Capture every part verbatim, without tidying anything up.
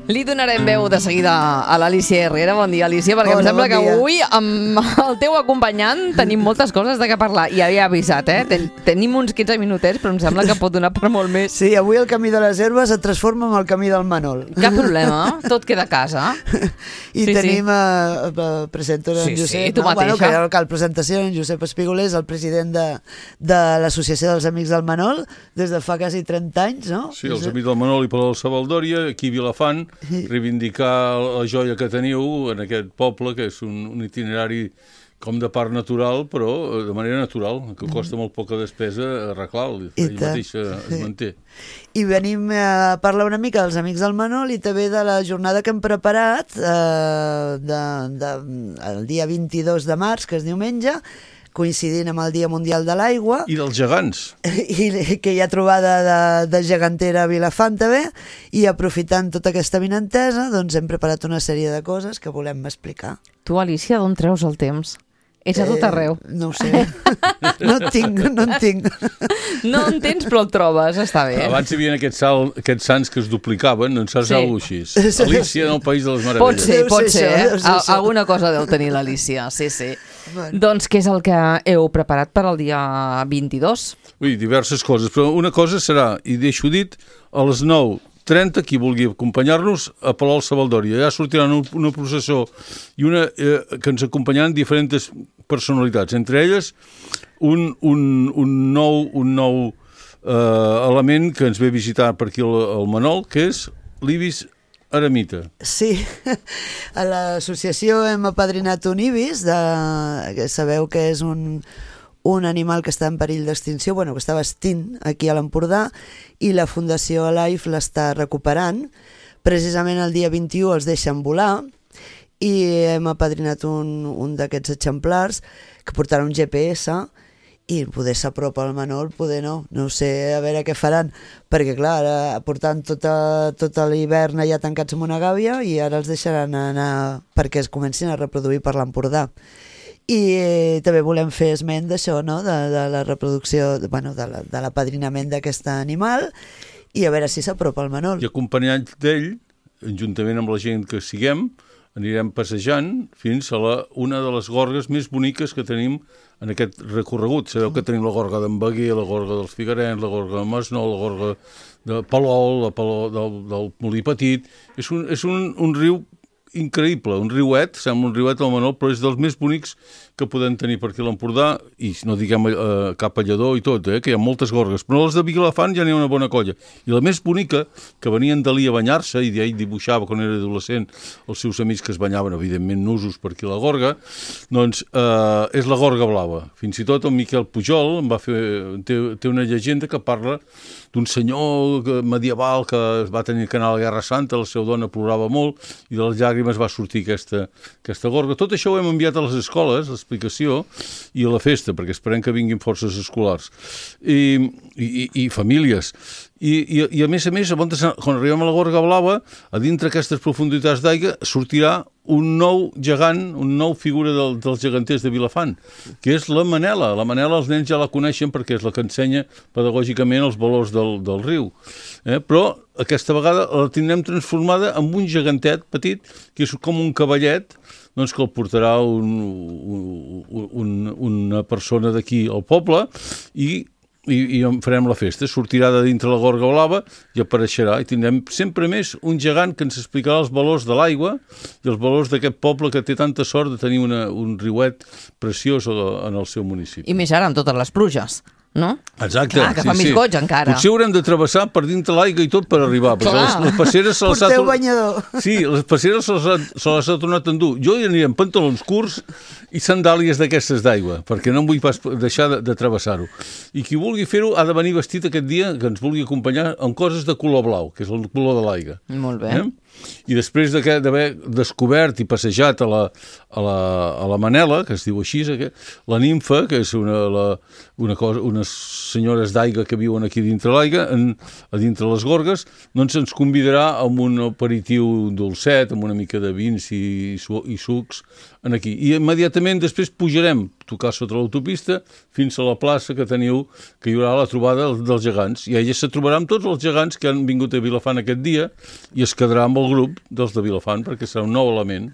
Li donarem veu de seguida a l'Alícia Herrera. Bon dia, Alícia, perquè Hola, em sembla bon que dia. avui amb el teu acompanyant tenim moltes coses de què parlar. I ja havia avisat, eh? Ten tenim uns quinze minutets, però em sembla que pot donar per molt més. Sí, avui el camí de les herbes es transforma en el camí del Manol. Cap problema, tot queda a casa. I Sí, tenim, sí. Uh, presento en Sí, sí, Josep, tu no? Bueno, mateixa. que el cal presentació, en Josep Espígoler és el president de, de l'Associació dels Amics del Manol des de fa quasi trenta anys, no? Sí, els amics del Manol i Palau de Savaldòria, aquí a Vilafant, reivindicar la joia que teniu en aquest poble, que és un, un itinerari com de part natural, però de manera natural, que costa molt poca despesa arreglar-lo, ell mateix es manté. I venim a parlar una mica dels Amics del Manol i també de la jornada que hem preparat eh, de, de, el dia vint-i-dos de març, que és diumenge, coincidint amb el Dia Mundial de l'Aigua. I dels gegants. I que hi ha trobada de, de gegantera a Vilafant també, i aprofitant tota aquesta vinentesa, doncs hem preparat una sèrie de coses que volem explicar. Tu, Alícia, d'on treus el temps? Ets a tot arreu. Eh, no ho sé. No en tinc, no en tinc. No en tens, però el trobes, està bé. Abans hi havia aquests, sal, aquests sants que es duplicaven, no en saps Sí. alguna cosa així. Alícia en el País de les Meravelles. Pot ser, Deu pot ser ser. això, Eh? deu ser Al- això. Alguna cosa deu tenir l'Alícia, sí, sí. Bueno. Doncs què és el que heu preparat per al dia vint-i-dos? Ui, diverses coses, però una cosa serà, i deixo dit, a les nou trenta, qui vulgui acompanyar-nos, a Palau de Savaldòria. Ja sortiran un, una processó i una eh, que ens acompanyaran diferents personalitats, entre elles un, un, un nou, un nou eh, element que ens ve a visitar per aquí el, el Manol, que és l'Ibis Eremita. Sí, a l'associació hem apadrinat un ibis, de, que sabeu que és un, un animal que està en perill d'extinció, bueno, que estava extint aquí a l'Empordà, i la Fundació Alive l'està recuperant. Precisament el dia vint-i-u els deixen volar, i hem apadrinat un, un d'aquests exemplars que portarà un G P S, i poder s'apropa al Manol, poder no, no sé, a veure què faran, perquè clar, ara portant tota, tota l'hivern allà tancats en una gàbia i ara els deixaran anar perquè es comencin a reproduir per l'Empordà. I eh, també volem fer esment d'això, no? de, de la reproducció, de, bueno, de la- de l'apadrinament d'aquest animal, i a veure si s'apropa al Manol. I acompanyats d'ell, juntament amb la gent que siguem, anirem passejant fins a la, una de les gorgues més boniques que tenim en aquest recorregut. Sabeu que tenim la gorga d'en Beguer, la gorga dels Figarens, la gorga de Masnou, la gorga de Palol, la Palol del, del Molí Petit. És un, és un, un riu increïble, un riuet, sembla un riuet al Manol, però és dels més bonics que podem tenir per aquí a l'Empordà, i no diguem eh, cap a Lledó i tot, eh, que hi ha moltes gorgues, però les de Vilafant ja n'hi ha una bona colla. I la més bonica, que venien d'Alí a banyar-se, i d'ell dibuixava quan era adolescent els seus amics que es banyaven, evidentment nusos per aquí a la gorga, doncs eh, és la gorga blava. Fins i tot el Miquel Pujol em va fer, té, té una llegenda que parla d'un senyor que- medieval que va tenir que anar a la Guerra Santa, la seva dona plorava molt, i de les llàgrimes va sortir aquesta, aquesta gorga. Tot això ho hem enviat a les escoles, l'explicació, i a la festa, perquè esperem que vinguin forces escolars. I, i, i famílies. I, i, I a més a més, quan arribem a la gorga blava, a dintre aquestes profunditats d'aigua sortirà un nou gegant, un nou figura del, dels geganters de Vilafant, que és la Manela. La Manela els nens ja la coneixen perquè és la que ensenya pedagògicament els valors del, del riu. Eh? Però aquesta vegada la tindrem transformada en un gegantet petit, que és com un cavallet, doncs que el portarà un, un, un, una persona d'aquí al poble, i I, i en farem la festa. Sortirà de dintre la gorga blava i apareixerà, i tindrem sempre més un gegant que ens explicarà els valors de l'aigua i els valors d'aquest poble que té tanta sort de tenir una, un riuet preciós en el seu municipi. I més ara amb totes les pluges, no? Exacte. Clar, que fa més goig encara. Potser haurem de travessar per dintre l'aigua i tot per arribar, perquè Clar. les, les passeres se les ha Porteu tor- banyador. Sí, les passeres se les ha, se les ha tornat a endur. Jo hi aniré amb pantalons curts i sandàlies d'aquestes d'aigua, perquè no em vull pas deixar de, de travessar-ho. I qui vulgui fer-ho ha de venir vestit aquest dia, que ens vulgui acompanyar, amb coses de color blau, que és el color de l'aigua. Molt bé. Eh? I després d'aquest- d'haver descobert i passejat a la, a, la, a la Manela, que es diu així, aquest, la nimfa, que és una, la, una cosa, unes senyores d'aigua que viuen aquí dintre l'aigua, en, a dintre les gorgues, doncs ens convidarà amb un aperitiu dolcet, amb una mica de vins i, su- i sucs, en aquí. I immediatament després pujarem tocar sota l'autopista fins a la plaça que teniu, que hi haurà la trobada dels gegants. I ella se trobarà amb tots els gegants que han vingut a Vilafant aquest dia i es quedarà amb el grup dels de Vilafant perquè serà un nou element.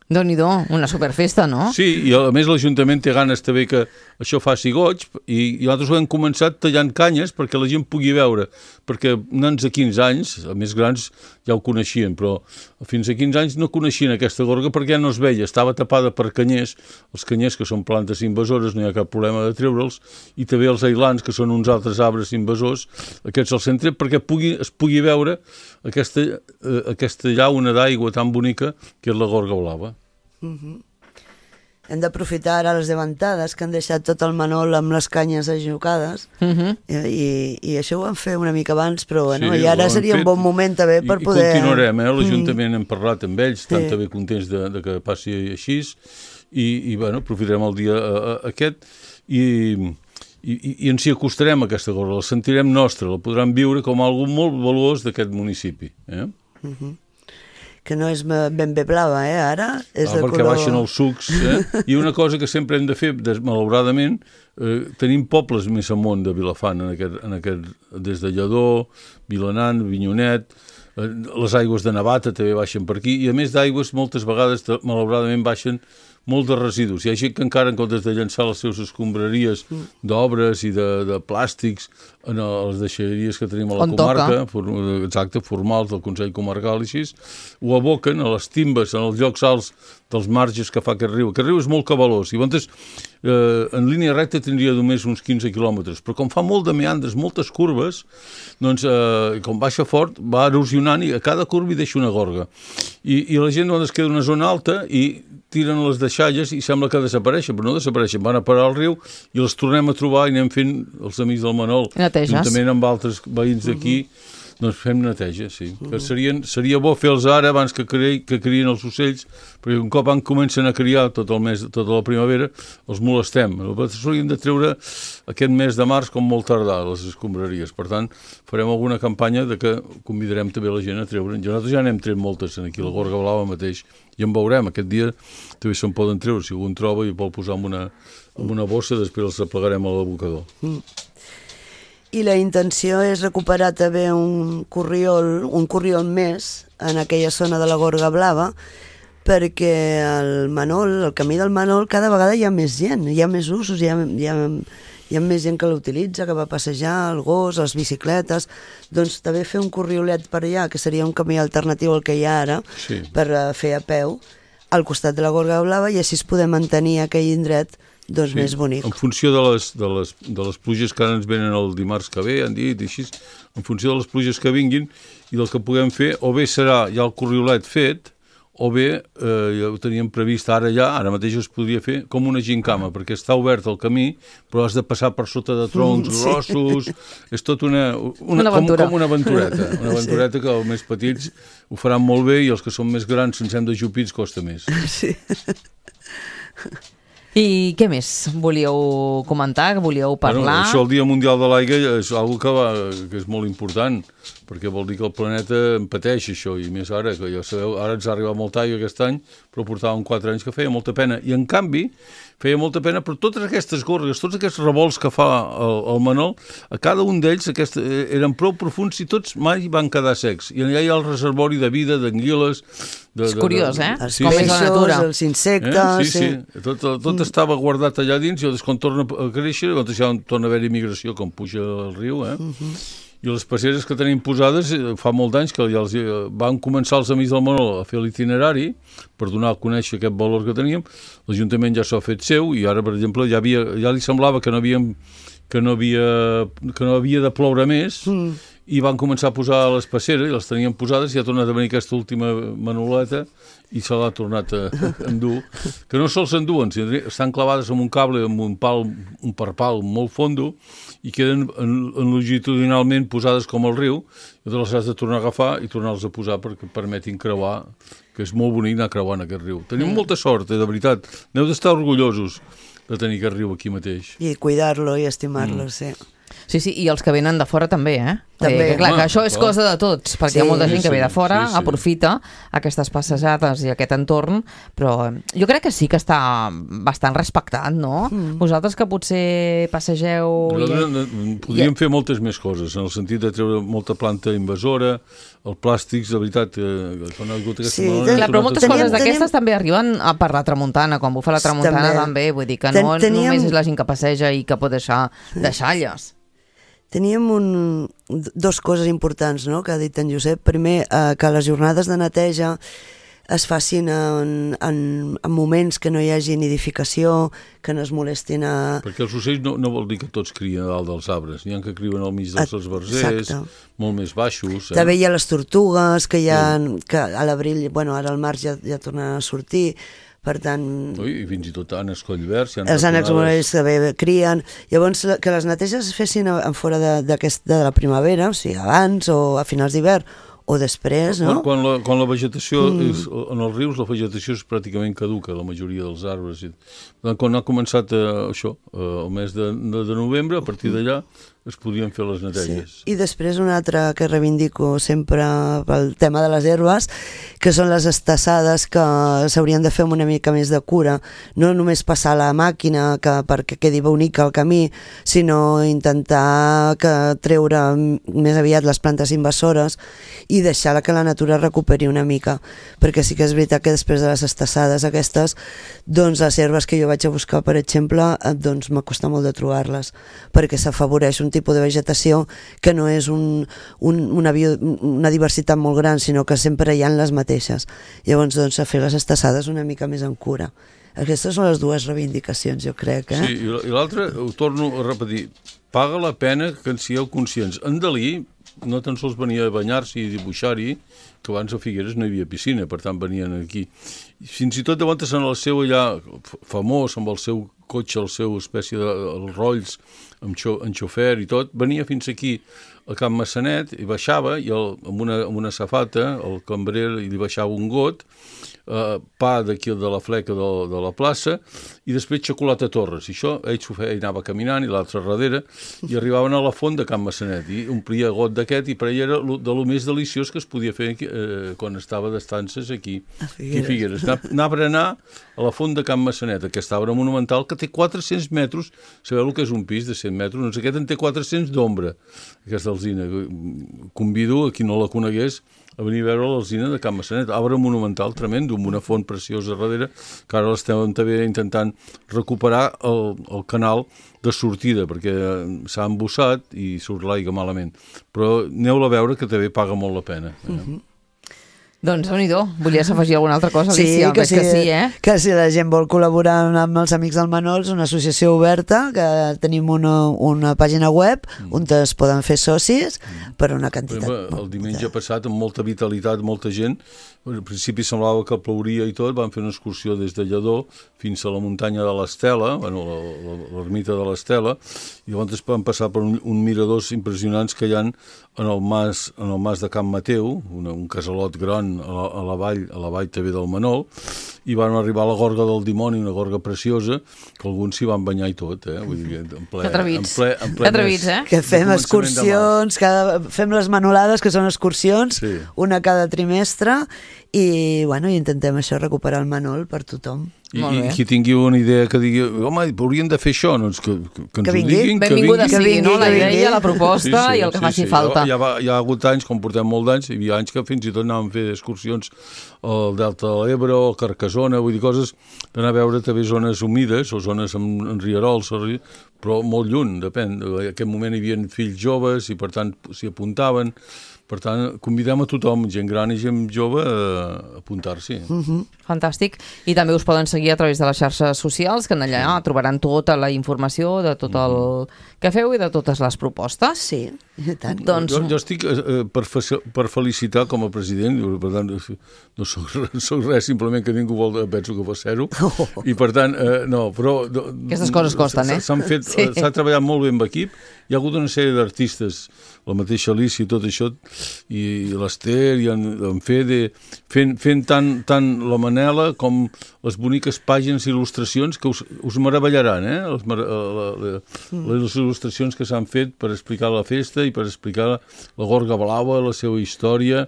Déu-n'hi-do, una superfesta, no? Sí, i a més l'Ajuntament té ganes també que això faci goig i, i nosaltres ho hem començat tallant canyes perquè la gent pugui veure, perquè nens de quinze anys, a més grans ja ho coneixien, però fins a quinze anys no coneixien aquesta gorga perquè ja no es veia, estava tapada per canyers, els canyers que són plantes invasores, no hi ha cap problema de treure'ls, i també els ailans, que són uns altres arbres invasors, aquests al centre, perquè pugui, es pugui veure aquesta, eh, aquesta llauna d'aigua tan bonica que és la gorga blava. Uh-huh. Hem d'aprofitar ara les davantades que han deixat tot el Manol amb les canyes ajocades uh-huh. i, i això ho vam fer una mica abans, però bueno, sí, i ara seria fet, un bon moment també per i, poder... I continuarem, eh? L'Ajuntament mm. hem parlat amb ells, estan sí. també contents de, de que passi així i, i bueno, aprofitarem el dia uh, aquest i, i, i ens hi acostarem a aquesta gorga, la sentirem nostra, la podran viure com algo molt valuós d'aquest municipi. Eh? Uh-huh. Que no és ben bé blava, eh, ara? És ah, de perquè color... baixen els sucs. Eh? I una cosa que sempre hem de fer, malauradament, eh, tenim pobles més amunt de Vilafant, en aquest, en aquest, des de Lledó, Vilanant, Vinyonet, eh, les aigües de Navata també baixen per aquí, i a més d'aigües moltes vegades, malauradament, baixen molt de residus. Hi ha gent que encara, en comptes de llançar les seves escombraries d'obres i de, de plàstics en les deixalleries que tenim a la On comarca, for, exacte, formals del Consell Comarcal i així, ho aboquen a les timbes, en els llocs alts dels marges que fa aquest riu. Aquest riu és molt cabalós i llavors eh, en línia recta tindria només uns quinze quilòmetres, però com fa molt de meandres, moltes curves, doncs eh, com baixa fort va erosionant i a cada curva hi deixa una gorga. I, i la gent doncs, es queda en una zona alta i tiren les deixalles i sembla que desapareixen, però no desapareixen, van a parar al riu i les tornem a trobar i anem fent els amics del Manol, juntament amb altres veïns d'aquí, uh-huh. doncs fem neteja, sí. Uh-huh. Que serien, seria bo fer-los ara abans que, cre que crien els ocells, perquè un cop en comencen a criar tot el mes, tota la primavera, els molestem. S'haurien de treure aquest mes de març com molt tardar, les escombraries. Per tant, farem alguna campanya de que convidarem també la gent a treure. Nosaltres ja n'hem tret moltes aquí, la gorga blava mateix, i en veurem. Aquest dia també se'n poden treure, si algú en troba i vol posar en una, en una bossa, després els replegarem a l'abocador. Mm. I la intenció és recuperar també un corriol, un corriol més en aquella zona de la Gorga Blava, perquè el Manol, el camí del Manol, cada vegada hi ha més gent, hi ha més usos, hi ha, hi ha, hi ha més gent que l'utilitza, que va a passejar, el gos, les bicicletes, doncs també fer un corriolet per allà, que seria un camí alternatiu al que hi ha ara, sí. per fer a peu, al costat de la Gorga Blava, i així es poder mantenir aquell indret doncs sí, més bonic. En funció de les, de, les, de les pluges que ara ens venen el dimarts que ve, han dit, així, en funció de les pluges que vinguin i del que puguem fer, o bé serà ja el corriolet fet, o bé, eh, ja ho teníem previst ara ja, ara mateix es podria fer com una gincama, perquè està obert el camí, però has de passar per sota de troncs mm, grossos, sí. és tot una, una, una com, com una aventureta, una aventureta sí. que els més petits ho faran molt bé i els que són més grans, sense hem de jupits, costa més. Sí. I què més volíeu comentar, que volíeu parlar? Bueno, això, el Dia Mundial de l'Aigua, és una cosa que, va, que és molt important, perquè vol dir que el planeta en pateix això, i més ara, que ja sabeu, ara ens ha arribat molta aigua aquest any, però portàvem quatre anys que feia molta pena. I en canvi, feia molta pena per totes aquestes gorgues, tots aquests revolts que fa el, el Manol, a cada un d'ells aquest, eren prou profunds i tots mai van quedar secs. I allà hi ha el reservori de vida, d'anguiles... De, és curiós, de, de, eh? Els sí, peixos, els insectes... Eh? Sí, sí, sí. Tot, tot mm. estava guardat allà dins i quan torna a créixer, doncs ja torna a haver-hi migració, com puja el riu, eh? Mm-hmm. I les passeres que tenim posades, fa molt d'anys que ja els, van començar els amics del Manol a fer l'itinerari per donar a conèixer aquest valor que teníem. L'Ajuntament ja s'ha fet seu i ara, per exemple, ja, havia, ja li semblava que no, havíem, que, no havia, que no havia de ploure més mm. i van començar a posar les passeres i les tenien posades i ha tornat a venir aquesta última manoleta i se l'ha tornat a endur. Que no sols s'enduen, estan clavades amb un cable, amb un pal, un parpal molt fondo i queden en, en longitudinalment posades com el riu, i les has de tornar a agafar i tornar-les a posar perquè permetin creuar, que és molt bonic anar creuant aquest riu. Tenim molta sort, eh, de veritat. N'heu d'estar orgullosos de tenir aquest riu aquí mateix. I cuidar-lo i estimar-lo, mm. sí. Sí, sí, i els que venen de fora també, eh? També. Eh, clar, Home, que això és clar. cosa de tots, perquè Sí. hi ha molta Sí, gent que ve de sí, fora, sí, sí. aprofita aquestes passejades i aquest entorn, però jo crec que sí que està bastant respectat, no? Mm. Vosaltres que potser passegeu... Nosaltres I... eh, podríem fer moltes més coses, en el sentit de treure molta planta invasora, els plàstics, de veritat, eh, quan ha hagut aquesta Sí, malona, Clar, però moltes Teníem- coses d'aquestes teníem- també arriben a per la tramuntana, quan bufa la tramuntana També. també, vull dir que Ten- no teníem- només és la gent que passeja i que pot deixar deixalles. Teníem un, dos coses importants, no?, que ha dit en Josep. Primer, eh, que les jornades de neteja es facin en, en, en moments que no hi hagi nidificació, que no es molestin a... Perquè els ocells no, no vol dir que tots crien a dalt dels arbres. N'hi ha que criuen al mig dels esbarzers, Exacte. molt més baixos. Eh? També hi ha les tortugues, que, hi ha, que a l'abril, bueno, ara al març ja, ja tornen a sortir, per tant... Ui, i fins i tot ànecs collverds. Si Els ànecs morells també crien. Llavors, que les neteges es fessin en fora de, de la primavera, o sigui, abans o a finals d'hivern, o després, no? Quan, quan, la, quan la vegetació, mm. és, en els rius, la vegetació és pràcticament caduca, la majoria dels arbres. Quan ha començat eh, això, eh, el mes de, de, de novembre, a partir d'allà es podien fer les neteges. Sí. I després una altra que reivindico sempre pel tema de les herbes, que són les estassades, que s'haurien de fer amb una mica més de cura, no només passar la màquina que, perquè quedi bonic el camí, sinó intentar que treure més aviat les plantes invasores i deixar que la natura recuperi una mica, perquè sí que és veritat que després de les estassades aquestes, doncs les herbes que jo vaig a buscar, per exemple, doncs m'acosta molt de trobar-les, perquè s'afavoreix un tipus de vegetació que no és un, un, una, bio, una diversitat molt gran, sinó que sempre hi ha les mateixes. Llavors, doncs, a fer les estassades una mica més en cura. Aquestes són les dues reivindicacions, jo crec. Eh? Sí, i l'altra, ho torno a repetir, paga la pena que en sigueu conscients. En Dalí no tan sols venia a banyar-s'hi i dibuixar-hi, que abans a Figueres no hi havia piscina, per tant venien aquí. Fins i tot de vegades en el seu allà famós, amb el seu cotxe, el seu espècie de els rolls, amb, xo, amb xofer i tot, venia fins aquí a Can Massanet i baixava i el, amb, una, amb una safata el cambrer li baixava un got, eh, pa d'aquí de la fleca de, de la plaça i després xocolata Torres. I això ell s'ho feia, ell anava caminant i l'altre darrere i arribaven a la font de Can Massanet i omplia got d'aquest i per ell era de lo més deliciós que es podia fer aquí, eh, quan estava d'estances aquí a Figueres. Figueres. Anar, anar per anar a la font de Can Massanet, aquesta obra monumental que té quatre-cents metres, sabeu el que és un pis de cent metres? Doncs aquest en té quatre-cents d'ombra, aquesta alzina. Convido a qui no la conegués a venir a veure l'alzina de Can Massanet, obra monumental tremenda, amb una font preciosa darrere, que ara l'estem també intentant recuperar el, el canal de sortida, perquè s'ha embussat i surt l'aigua malament. Però aneu-la a veure, que també paga molt la pena. Eh? Mm-hmm. Doncs, déu-n'hi-do, volies afegir alguna altra cosa, Alicia? Sí, que, Veig sí, que sí, eh? que si la gent vol col·laborar amb els Amics del Manols, una associació oberta, que tenim una, una pàgina web mm. on es poden fer socis mm. per una quantitat. Exemple, el diumenge passat, amb molta vitalitat, molta gent, al principi semblava que plouria i tot, van fer una excursió des de Lledó fins a la muntanya de l'Estela, bueno, l'ermita de l'Estela, i llavors van passar per un, un miradors impressionants que hi ha en el mas, en el mas de Can Mateu, una, un casalot gran a la, a la vall, a la vall també del Manol, i van arribar a la Gorga del Dimoni, una gorga preciosa, que alguns s'hi van banyar i tot, eh? Vull dir, en ple, que atrevits, en ple, en ple que atrevits, eh? Que fem excursions, cada, fem les manolades, que són excursions, sí. Una cada trimestre, i, bueno, i intentem això, recuperar el Manol per tothom. I, i qui tingui una idea que digui, home, haurien de fer això, doncs que, que, que ens que vingui, ho diguin. Benvinguda que sigui, vingui, no? La que idea, la proposta sí, sí, i el que sí, faci sí. falta. Hi ha, hi ha hagut anys, com portem molt d'anys, hi havia anys que fins i tot anàvem a fer excursions al Delta de l'Ebre o al Carcassona, vull dir, coses d'anar a veure també zones humides o zones amb, amb rierols, però molt lluny, depèn. En aquest moment hi havia fills joves i per tant s'hi apuntaven. Per tant, convidem a tothom, gent gran i gent jove, a apuntar-s'hi. Uh-huh. Fantàstic. I també us poden seguir a través de les xarxes socials, que en allà sí. trobaran tota la informació de tot el que feu i de totes les propostes. Sí. I tant. Doncs... Jo, jo estic eh, per, fe- per felicitar com a president, per tant, no soc, soc res, simplement que ningú vol, penso que va ser-ho, Oh. i per tant, eh, no, però... Aquestes coses costen, eh? S'han fet, Sí. s'ha treballat molt bé amb equip, hi ha hagut una sèrie d'artistes, la mateixa Alicia i tot això, i l'Ester i en, en Fede, fent, fent tant, tant la Manela com les boniques pàgines i il·lustracions que us, us meravellaran, eh? Les, la, la, la, les il·lustracions que s'han fet per explicar la festa i per explicar la, la Gorga Blava, la seva història.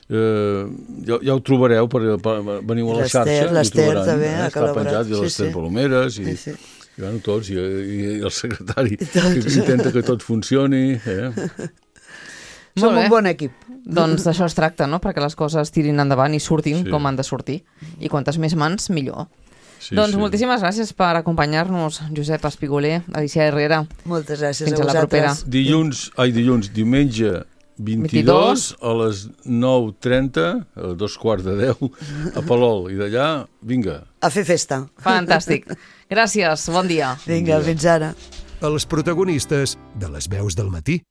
Eh, ja, ja ho trobareu, per, per, veniu a la L'Ester, xarxa, i ho l'Ester trobaran, també eh? ha Està col·laborat. penjat, i Sí, l'Ester sí. Palomeres, i, Sí, sí. i, bueno, tots, i, i, i el secretari, tots. que intenta que tot funcioni. Eh? Som Molt bé. un bon equip. Doncs d'això es tracta, no? Perquè les coses tirin endavant i surtin Sí. com han de sortir. I quantes més mans, millor. Sí, doncs sí. moltíssimes gràcies per acompanyar-nos, Josep Espigoler, Alicia Herrera. Moltes gràcies Fins a a la vosaltres. propera. Dilluns, ai, dilluns, diumenge vint-i-dos a les nou trenta, a dos quarts de deu, a Palol. I d'allà, vinga. A fer festa. Fantàstic. Gràcies, bon dia. Vinga, fins ara. Els protagonistes de les veus del matí.